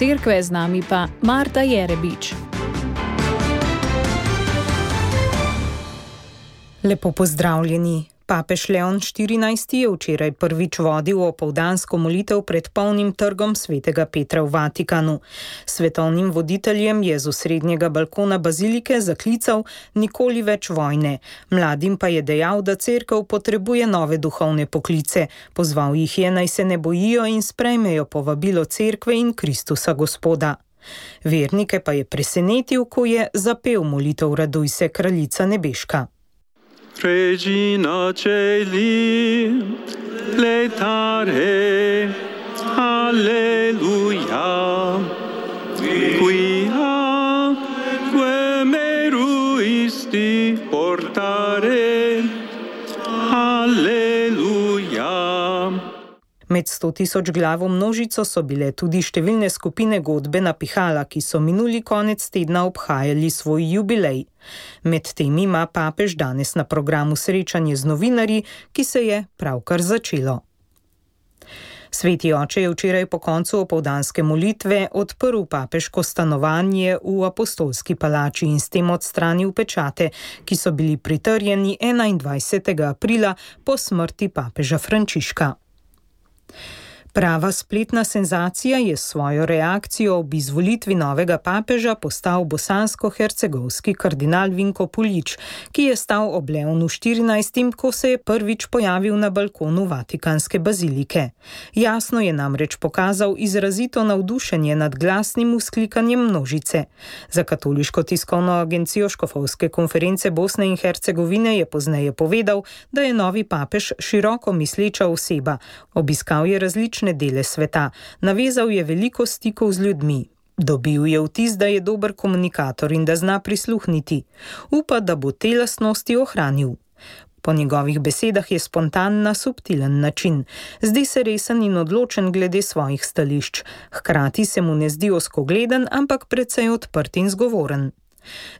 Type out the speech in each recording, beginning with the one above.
cerkve, z nami pa Marta Jerebič. Lepo pozdravljeni. Papež Leon XIV je včeraj prvič vodil opoldansko molitev pred polnim trgom svetega Petra v Vatikanu. Svetovnim voditeljem je z osrednjega balkona bazilike zaklical nikoli več vojne. Mladim pa je dejal, da cerkev potrebuje nove duhovne poklice. Pozval jih je, naj se ne bojijo in sprejmejo povabilo cerkve in Kristusa Gospoda. Vernike pa je presenetil, ko je zapel molitev Raduj se, kraljica nebeška. Regina Celi, letare, alleluia, quia meruisti portare, alleluia. Med 100 000 glavo množico so bile tudi številne skupine godbe na pihala, ki so minuli konec tedna obhajali svoj jubilej. Med tem ima papež danes na programu srečanje z novinarji, ki se je pravkar začelo. Sveti oče je včeraj po koncu opoldanske molitve odprl papeško stanovanje v Apostolski palači in s tem odstranil pečate, ki so bili pritrjeni 21. aprila po smrti papeža Frančiška. Prava spletna senzacija je s svojo reakcijo ob izvolitvi novega papeža postal bosansko-hercegovski kardinal Vinko Puljić, ki je stal ob Leonu 14., ko se je prvič pojavil na balkonu Vatikanske bazilike. Jasno je namreč pokazal izrazito navdušenje nad glasnim vzklikanjem množice. Za katoliško tiskovno agencijo Škofovske konference Bosne in Hercegovine je pozneje povedal, da je novi papež široko misleča oseba. Obiskal je različne dele sveta, navezal je veliko stikov z ljudmi. Dobil je vtis, da je dober komunikator in da zna prisluhniti. Upa, da bo te lastnosti ohranil. Po njegovih besedah je spontan na subtilen način. Zdi se resen in odločen glede svojih stališč. Hkrati se mu ne zdi ozkogleden, ampak precej odprt in zgovoren.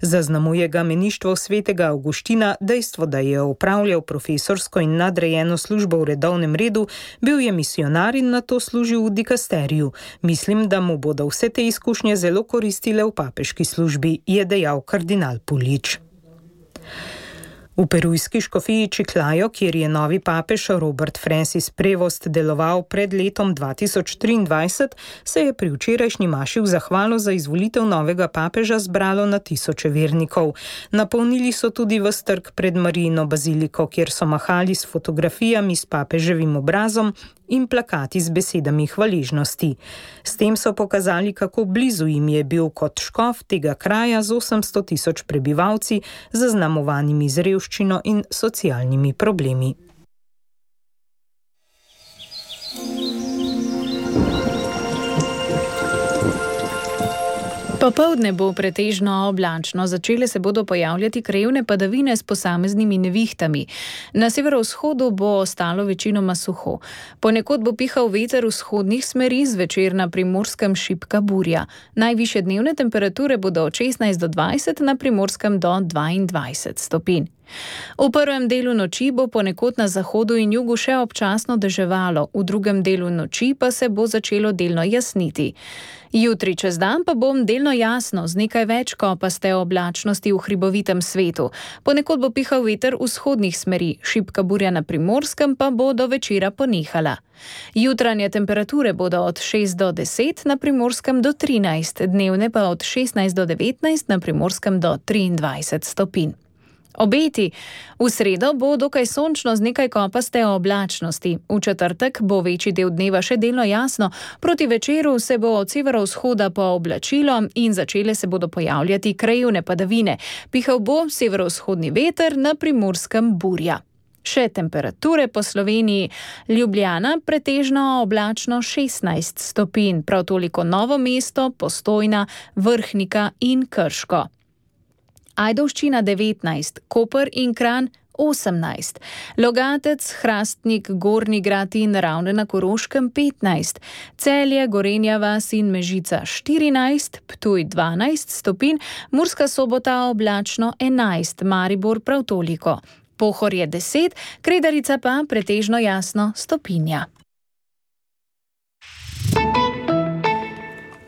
Zaznamuje ga meništvo svetega Avguština dejstvo, da je opravljal profesorsko in nadrejeno službo v redovnem redu, bil je misionar in nato služil v dikasteriju. Mislim, da mu bodo vse te izkušnje zelo koristile v papeški službi, je dejal kardinal Puljić. V perujski škofiji Chiclayo, kjer je novi papež Robert Francis Prevost deloval pred letom 2023, se je pri včerajšnji maši v zahvalo za izvolitev novega papeža zbralo na tisoče vernikov. Napolnili so tudi ves trg pred Marijino baziliko, kjer so mahali s fotografijami s papeževim obrazom in plakati z besedami hvaležnosti. S tem so pokazali, kako blizu jim je bil kot škof tega kraja z 800 000 prebivalci, zaznamovanimi z revščino in socialnimi problemi. Popoldne bo pretežno oblačno, začele se bodo pojavljati krajevne padavine s posameznimi nevihtami. Na severovzhodu bo ostalo večinoma suho. Ponekod bo pihal veter vzhodnih smeri, zvečer na Primorskem šibka burja. Najvišje dnevne temperature bodo od 16 do 20, na Primorskem do 22 stopinj. V prvem delu noči bo ponekod na zahodu in jugu še občasno deževalo, v drugem delu noči pa se bo začelo delno jasniti. Jutri čez dan pa bo delno jasno, z nekaj več kopaste oblačnosti v hribovitem svetu. Ponekod bo pihal veter vzhodnih smeri, šibka burja na Primorskem pa bo do večera ponehala. Jutranje temperature bodo od 6 do 10, na Primorskem do 13, dnevne pa od 16 do 19, na Primorskem do 23 stopinj. Obeti. V sredo bo dokaj sončno z nekaj kopaste oblačnosti. V četrtek bo večji del dneva še delno jasno, proti večeru se bo od severovzhoda pooblačilo in začele se bodo pojavljati krajevne padavine. Pihal bo severovzhodni veter, na Primorskem burja. Še temperature po Sloveniji. Ljubljana pretežno oblačno 16 stopinj, prav toliko Novo mesto, Postojna, Vrhnika in Krško. Ajdovščina 19, Koper in Kranj 18, Logatec, Hrastnik, Gornji Grad in Ravne na Koroškem 15, Celje, Gorenja vas in Mežica 14, Ptuj 12 stopinj, Murska Sobota oblačno 11, Maribor prav toliko. Pohorje 10, Kredarica pa pretežno jasno stopinja.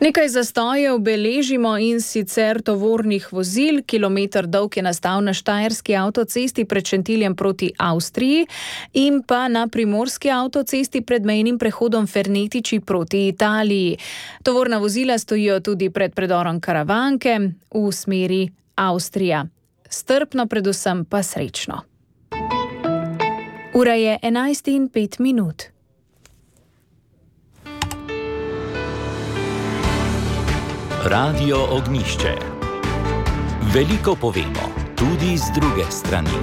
Nekaj zastojev beležimo, in sicer tovornih vozil. Kilometer dolg je nastal na Štajerski avtocesti pred Šentiljem proti Avstriji in pa na Primorski avtocesti pred mejnim prehodom Fernetiči proti Italiji. Tovorna vozila stojijo tudi pred predorom Karavanke v smeri Avstrija. Strpno, predvsem pa srečno. Ura je 11:05. Radio Ognjišče. Veliko povemo, tudi z druge strani.